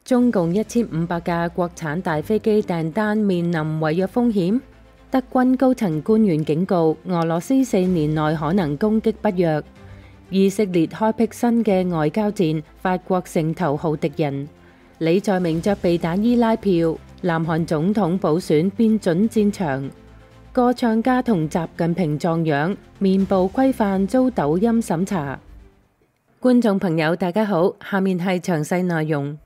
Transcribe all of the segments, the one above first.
中共1500架國產大飛機訂單面臨違約風險。德軍高層官員警告，俄羅斯4年內可能攻擊北約。以色列開闢新嘅外交戰，法國成頭號敵人。李在明着避彈衣拉票，南韓總統補選變準戰場。歌唱家同習近平撞樣，面部規範遭抖音審查。觀眾朋友大家好，下面係詳細內容。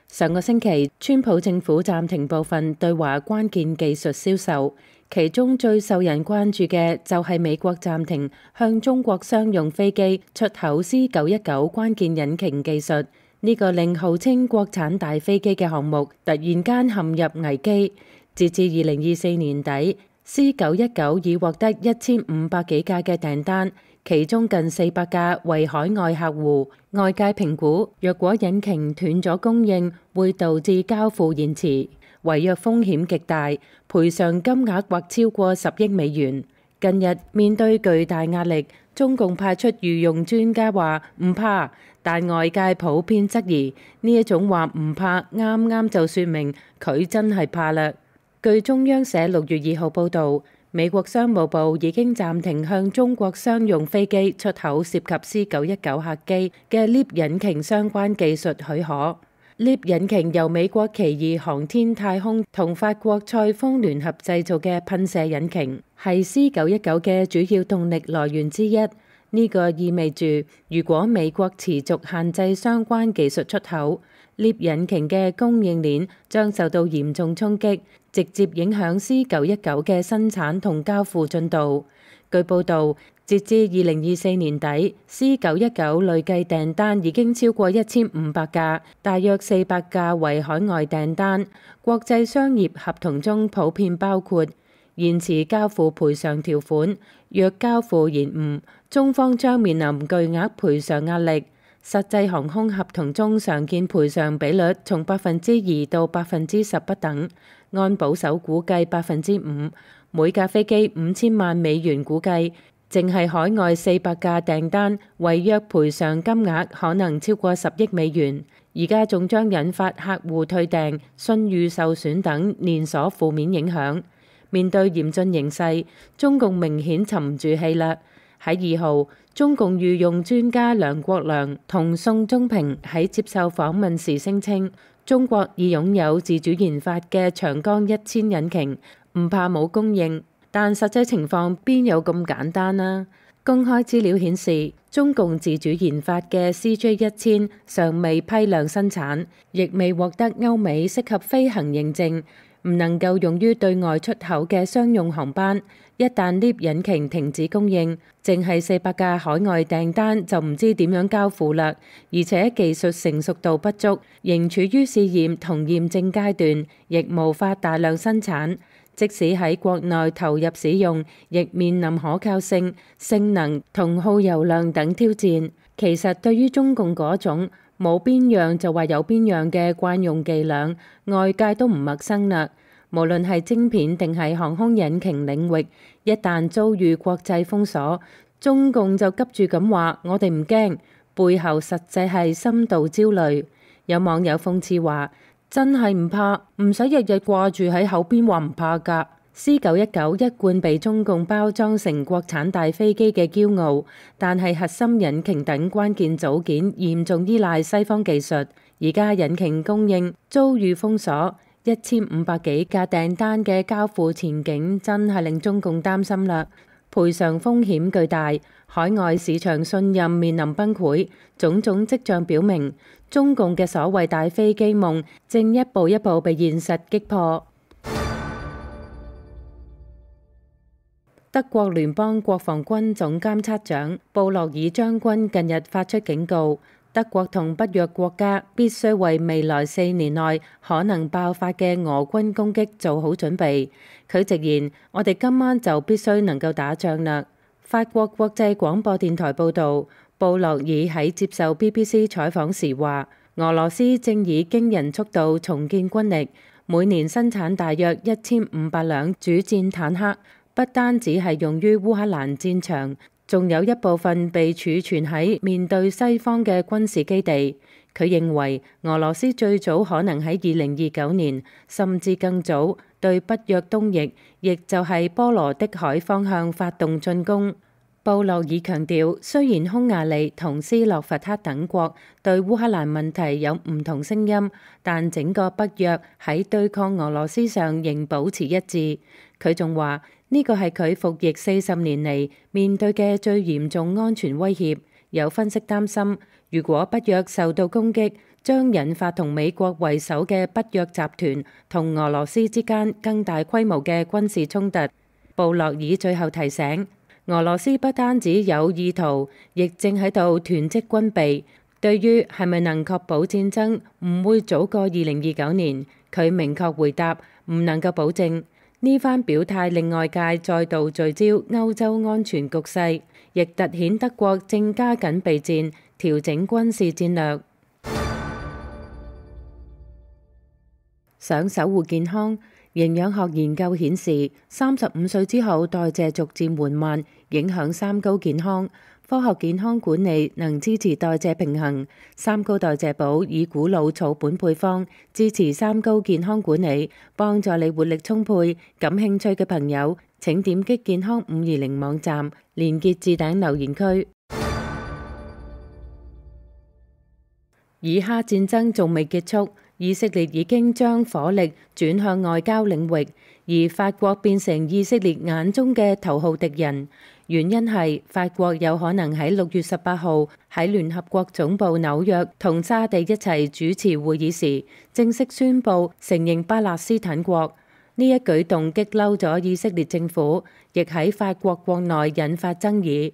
上個星期，川普政府暫停部分對華關鍵技術銷售，其中最受人關注嘅就係美國暫停向中國商用飛機出口 C919 關鍵引擎技術。呢個令號稱國產大飛機嘅項目突然間陷入危機。截至2024年底，C919 已獲得1500幾架嘅訂單，其中近400架為海外客戶。外界評估，若果引擎斷咗供應，會導致交付延遲，違約風險極大，賠償金額或超過10億美元。近日面對巨大壓力，中共派出御用專家話唔怕，但外界普遍質疑呢一種話唔怕，啱啱就說明佢真係怕啦。據中央社6月2號報導，美國商務部已經暫停向中國商用飛機出口涉及 C919 客機嘅 LEAP 引擎相關技術許可。LEAP 引擎由美國奇異航天太空同法國賽豐聯合製造嘅噴射引擎，係 C919 嘅主要動力來源之一。呢個意味住，如果美國持續限制相關技術出口，LEAP 引擎嘅供應鏈將受到嚴重衝擊，直接影響 C919 嘅生產同交付進度。據報導，截至2024年底，C919 累計訂單已經超過1500架，大約400架為海外訂單。國際商業合同中普遍包括延遲交付賠償條款，若交付延誤，中方將面臨巨額賠償壓力。實際航空合同中常見賠償比率從2%到10%不等，按保守估計5%，每架飛機5000萬美元估計，淨係海外400架訂單，違約賠償金額可能超過10億美元。而家仲將引發客戶退訂、信譽受損等連鎖負面影響。面對嚴峻形勢，中共明顯沉唔住氣啦。喺2號，中共御用專家梁國良同宋忠平喺接受訪問時聲稱，中國已擁有自主研發嘅長江1000引擎，唔怕冇供應。但實際情況邊有咁簡單啊？公開資料顯示，中共自主研發嘅 CJ1000尚未批量生產，亦未獲得歐美適合飛行認證，唔能夠用於對外出口嘅商用航班。一旦 LEAP 引擎停止供應，淨係400架海外訂單就唔知點樣交付啦。而且技術成熟度不足，仍處於試驗同驗證階段，亦無法大量生產。即使喺國內投入使用，亦面臨可靠性、性能同耗油量等挑戰。其實對於中共嗰種冇邊樣就話有邊樣嘅慣用伎倆，外界都唔陌生啦。無論係晶片定係航空引擎領域，一旦遭遇國際封鎖，中共就急住咁話我哋唔驚，背後實際係深度焦慮。有網友諷刺話，真係唔怕，唔使日日掛住喺口邊話唔怕㗎。C919 一貫被中共包裝成國產大飛機嘅驕傲，但係核心引擎等關鍵組件嚴重依賴西方技術，而家引擎供應遭遇封鎖。1500幾架訂單嘅交付前景真係令中共擔心啦，賠償風險巨大，海外市場信任面臨崩潰，種種跡象表明，中共嘅所謂大飛機夢正一步一步被現實擊破。德國聯邦國防軍總監察長布洛爾將軍近日發出警告，德國同北約國家必須為未來4年內可能爆發嘅俄軍攻擊做好準備。佢直言：我哋今晚就必須能夠打仗啦。法國國際廣播電台報導，布洛爾喺接受 BBC 採訪時話，俄羅斯正以驚人速度重建軍力，每年生產大約1500輛主戰坦克，不單只係用於烏克蘭戰場。仲有一部分被儲存喺面對西方嘅軍事基地。佢認為俄羅斯最早可能喺2029年，甚至更早對北約東翼，亦就係波羅的海方向發動進攻。布洛爾強調，雖然匈牙利同斯洛伐克等國對烏克蘭問題有唔同聲音，但整個北約喺對抗俄羅斯上仍保持一致。佢仲話呢個係佢服役40年嚟面對嘅最嚴重安全威脅。有分析擔心，如果北約受到攻擊，將引發同美國為首嘅北約集團同俄羅斯之間更大規模嘅軍事衝突。布洛爾最後提醒，俄羅斯不單止有意圖，亦正喺度囤積軍備。對於係咪能確保戰爭唔會早過2029年，佢明確回答唔能夠保證。呢番表態令外界再度聚焦歐洲安全局勢，亦凸顯德國正加緊備戰，調整軍事戰略。想守護健康，營養學研究顯示，35歲之後代謝逐漸緩慢，影響三高健康。科學健康管理能支持代謝平衡。三高代謝寶以古老草本配方支持三高健康管理，幫助你活力充沛。感興趣嘅朋友請點擊健康520網站，連結置頂留言區。以哈戰爭仲未結束，以色列已經將火力轉向外交領域，而法國變成以色列眼中嘅頭號敵人。原因係法國有可能喺6月18號喺聯合國總部紐約同沙地一齊主持會議時，正式宣布承認巴勒斯坦國。呢一舉動激嬲咗以色列政府，亦喺法國國內引發爭議。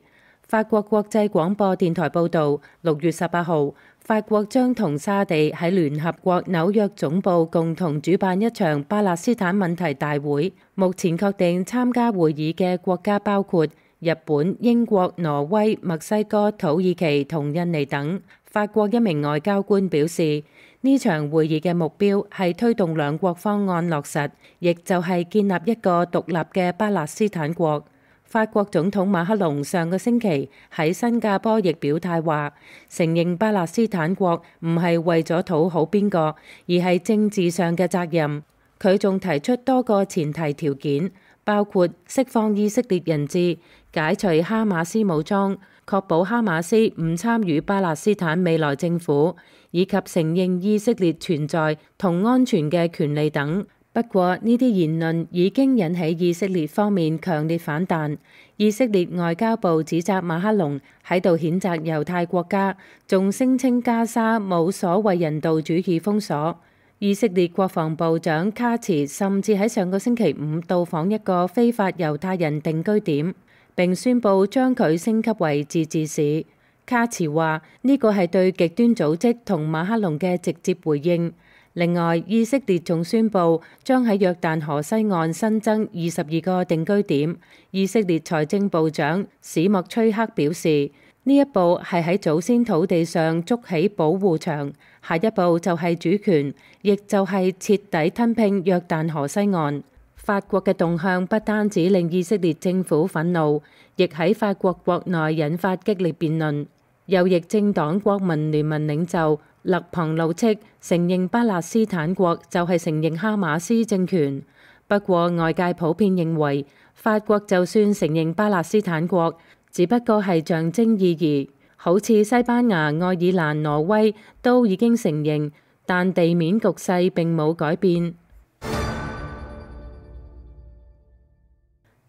法國國際廣播電台報導，6月18號，法國將同沙地喺聯合國紐約總部共同主辦一場巴勒斯坦問題大會。目前確定參加會議嘅國家包括日本、英國、挪威、墨西哥、土耳其同印尼等。法國一名外交官表示，呢場會議嘅目標係推動兩國方案落實，亦就係建立一個獨立嘅巴勒斯坦國。法國總統馬克龍上個星期喺新加坡亦表態話，承認巴勒斯坦國唔係為咗討好邊個，而係政治上嘅責任。佢仲提出多個前提條件，包括釋放以色列人質、解除哈馬斯武裝、確保哈馬斯唔參與巴勒斯坦未來政府，以及承認以色列存在同安全嘅權利等。不過呢啲言論已經引起以色列方面強烈反彈。以色列外交部指責馬克龍喺度譴責猶太國家，仲聲稱加沙冇所謂人道主義封鎖。以色列國防部長卡茨甚至喺上個星期五到訪一個非法猶太人定居點，並宣布將佢升級為自治市。卡茨話呢個係對極端組織同馬克龍嘅直接回應。另外，以色列仲宣布將喺約旦河西岸新增22個定居點。以色列財政部長史莫崔克表示，呢一步係喺祖先土地上築起保護牆，下一步就係主權，亦就係徹底吞併約旦河西岸。法國嘅動向不單止令以色列政府憤怒，亦喺法國國內引發激烈辯論。右翼政黨國民聯盟領袖勒龐怒斥承認巴勒斯坦國就係承認哈馬斯政權。不過外界普遍認為，法國就算承認巴勒斯坦國，只不過係象徵意義，好似西班牙、愛爾蘭、挪威都已經承認，但地面局勢並冇改變。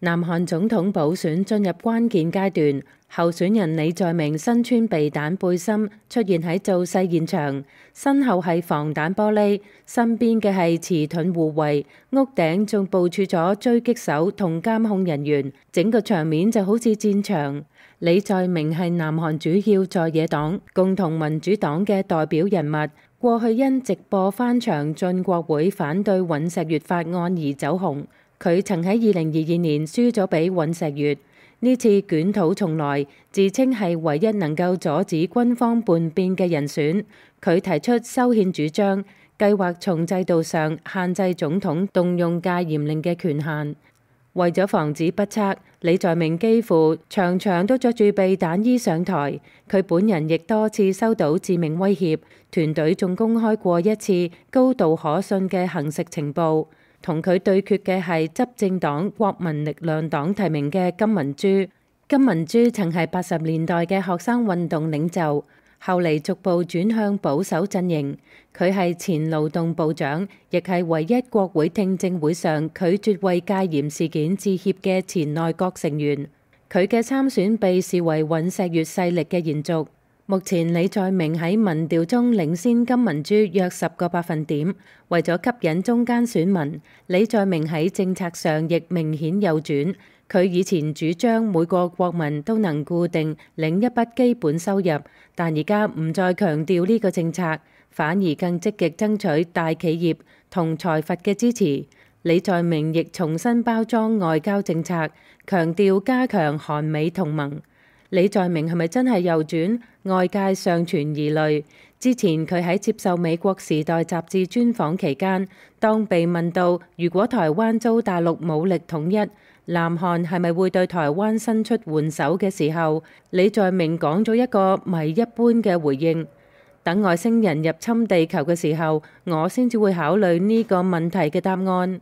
南韓總統補選進入關鍵階段，候選人李在明身穿避彈背心出現喺造勢現場，身後係防彈玻璃，身邊嘅係持盾護衛，屋頂仲部署咗狙擊手同監控人員，整個場面就好似戰場。李在明係南韓主要在野黨共同民主黨嘅代表人物，過去因直播翻牆進國會反對尹錫悅法案而走紅。佢曾喺2022年輸咗俾尹錫悅，呢次捲土重來，自稱係唯一能夠阻止軍方叛變嘅人選。佢提出修憲主張，計劃從制度上限制總統動用戒嚴令嘅權限。為咗防止不測，李在明幾乎場場都着住避彈衣上台。佢本人亦多次收到致命威脅，團隊仲公開過一次高度可信嘅行食情報。同佢對決嘅係執政黨國民力量黨提名嘅金文珠。金文珠曾係80年代嘅學生運動領袖，後嚟逐步轉向保守陣營。佢係前勞動部長，亦係唯一國會聽證會上拒絕為戒嚴事件致歉嘅前內閣成員。佢嘅參選被視為尹錫悅勢力嘅延續。目前李在明喺民調中領先金文珠約10個百分點。為咗吸引中間選民，李在明喺政策上亦明顯右轉。佢以前主張每個國民都能固定領一筆基本收入，但而家唔再強調呢個政策，反而更積極爭取大企業同財閥嘅支持。李在明亦重新包裝外交政策，強調加強韓美同盟。李在明係咪真係右轉？外界尚存疑慮。之前佢喺接受美國時代雜誌專訪期間，當被問到如果台灣遭大陸武力統一，南韓係咪會對台灣伸出援手嘅時候，李在明講咗一個謎一般嘅回應：等外星人入侵地球嘅時候，我先至會考慮呢個問題嘅答案。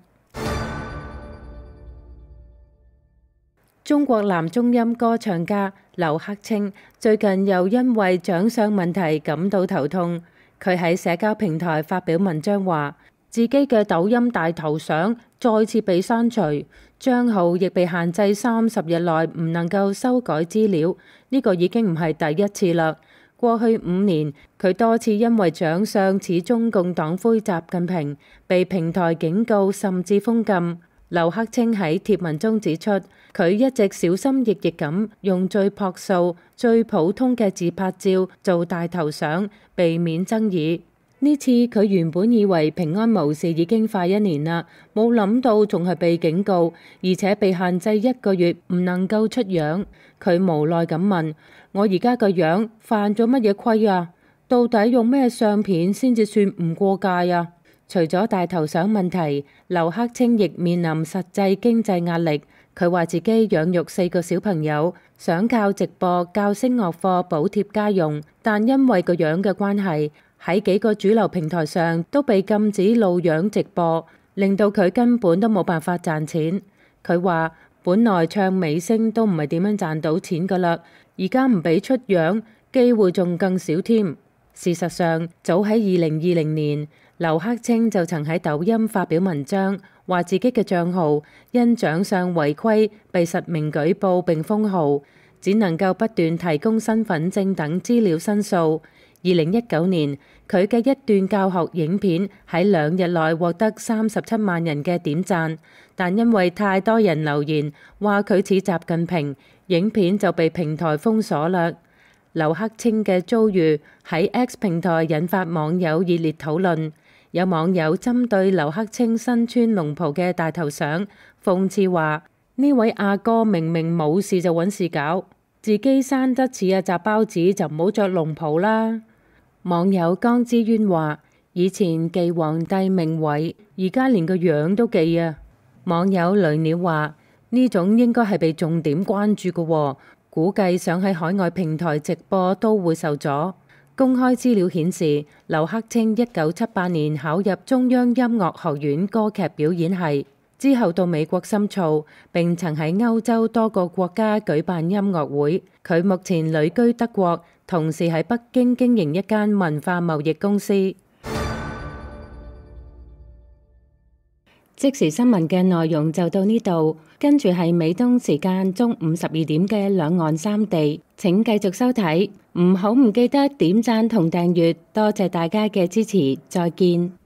中國男中音歌唱家劉克清最近又因為長相問題感到頭痛。佢喺社交平台發表文章話，自己嘅抖音大頭相再次被刪除，帳號亦被限制30日內唔能夠修改資料。呢個已經唔係第一次啦。過去5年，佢多次因為長相似中共黨魁習近平，被平台警告甚至封禁。劉克清喺貼文中指出，佢一直小心翼翼咁用最樸素、最普通嘅自拍照做大頭相，避免爭議。呢次佢原本以為平安無事已經快1年啦，冇諗到仲係被警告，而且被限制1個月唔能夠出樣。佢無奈咁問：我而家個樣犯咗乜嘢規啊？到底用咩相片先至算唔過界啊？除咗大頭相問題，劉克清亦面臨實際經濟壓力。佢話自己養育4個小朋友，想靠直播教聲樂課補貼家用，但因為個樣嘅關係，喺幾個主流平台上都被禁止露樣直播，令到佢根本都冇辦法賺錢。佢話本來唱美聲都唔係點樣賺到錢㗎喇，而家唔俾出樣，機會仲更少添。事實上，早喺2020年，劉克清就曾喺抖音發表文章，話自己嘅帳號因長相違規被實名舉報並封號，只能夠不斷提供身份證等資料申訴。2019年，佢嘅一段教學影片喺2日內獲得37萬人嘅點讚，但因為太多人留言話佢似習近平，影片就被平台封鎖啦。劉克清嘅遭遇喺 X 平台引發網友熱烈討論。有網友針對劉克清身穿龍袍嘅大頭相，諷刺話：呢位阿哥明明冇事就揾事搞，自己生得似阿雜包子就唔好着龍袍啦。網友江之淵話：以前記皇帝命位，而家連個樣都記啊。網友雷鳥話：呢種應該係被重點關注嘅喎，估計想喺海外平台直播都會受阻。公開資料顯示，劉克清1978年考入中央音樂學院歌劇表演系，之後到美國深造，並曾喺歐洲多個國家舉辦音樂會。佢目前旅居德國，同時喺北京經營一間文化貿易公司。即時新聞嘅內容就到呢度，跟住係美東時間中午12點嘅兩岸三地，請繼續收睇，唔記得點讚同訂閱，多謝大家嘅支持，再見。